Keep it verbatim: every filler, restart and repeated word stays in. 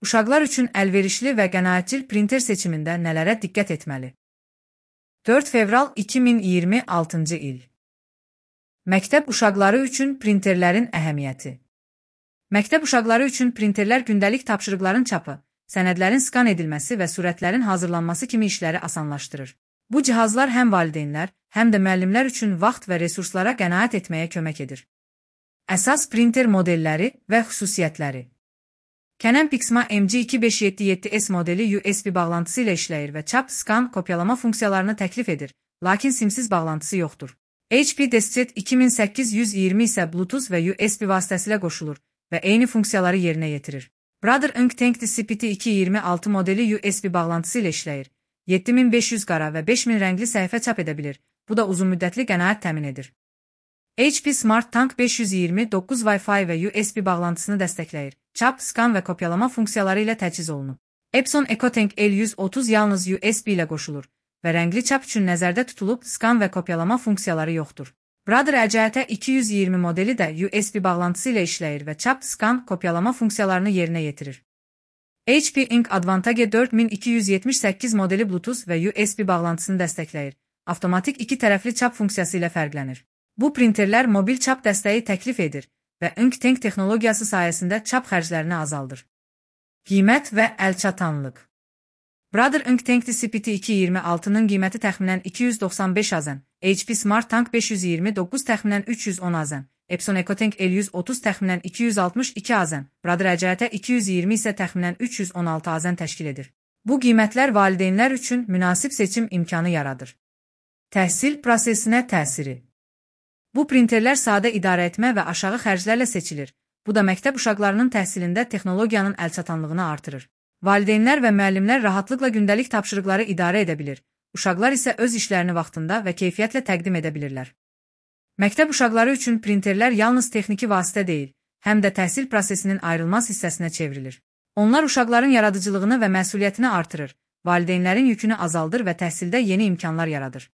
Uşaqlar üçün əlverişli və qənaətcil printer seçimində nələrə diqqət etməli? dörd fevral iki min iyirmi altıncı il. Məktəb uşaqları üçün printerlərin əhəmiyyəti. Məktəb uşaqları üçün printerlər gündəlik tapşırıqların çapı, sənədlərin skan edilməsi və surətlərin hazırlanması kimi işləri asanlaşdırır. Bu cihazlar həm valideynlər, həm də müəllimlər üçün vaxt və resurslara qənaət etməyə kömək edir. Əsas printer modelləri və xüsusiyyətləri. Canon Pixma M G iki beş yeddi yeddi S modeli U S B bağlantısı ilə işləyir və çap, skan, kopyalama funksiyalarını təklif edir, lakin simsiz bağlantısı yoxdur. H P DeskJet iki min səkkiz yüz iyirmi isə Bluetooth və U S B vasitəsilə qoşulur və eyni funksiyaları yerinə yetirir. Brother Ink Tank C P T iki iyirmi altı modeli U S B bağlantısı ilə işləyir. yeddi min beş yüz qara və beş min rəngli səhifə çap edə bilir. Bu da uzunmüddətli qənaət təmin edir. H P Smart Tank beş yüz iyirmi doqquz Wi-Fi və U S B bağlantısını dəstəkləyir. Çap, skan və kopyalama funksiyaları ilə təchiz olunub. Epson EcoTank L yüz otuz yalnız U S B ilə qoşulur və rəngli çap üçün nəzərdə tutulub, skan və kopyalama funksiyaları yoxdur. Brother E C T iki yüz iyirmi modeli də U S B bağlantısı ilə işləyir və çap, skan, kopyalama funksiyalarını yerinə yetirir. H P Ink Advantage dörd min iki yüz yetmiş səkkiz modeli Bluetooth və U S B bağlantısını dəstəkləyir. Avtomatik iki tərəfli çap funksiyası ilə fərqlənir. Bu printerlər mobil çap dəstəyi təklif edir və Ink Tank texnologiyası sayəsində çap xərclərini azaldır. Qiymət və əlçatanlıq. Brother Ink Tank C P T iki iyirmi altının qiyməti təxminən iki yüz doxsan beş azən, H P Smart Tank beş yüz iyirmi doqquz təxminən üç yüz on azən, Epson EcoTank L yüz otuz təxminən iki yüz altmış iki azən, Brother E C T iki yüz iyirmi isə təxminən üç yüz on altı azən təşkil edir. Bu qiymətlər valideynlər üçün münasib seçim imkanı yaradır. Təhsil prosesinə təsiri. Bu printerlər sadə idarə etmə və aşağı xərclərlə seçilir. Bu da məktəb uşaqlarının təhsilində texnologiyanın əlçatanlığını artırır. Valideynlər və müəllimlər rahatlıqla gündəlik tapşırıqları idarə edə bilir. Uşaqlar isə öz işlərini vaxtında və keyfiyyətlə təqdim edə bilirlər. Məktəb uşaqları üçün printerlər yalnız texniki vasitə deyil, həm də təhsil prosesinin ayrılmaz hissəsinə çevrilir. Onlar uşaqların yaradıcılığını və məsuliyyətini artırır, valideynlərin yükünü azaldır və təhsildə yeni imkanlar yaradır.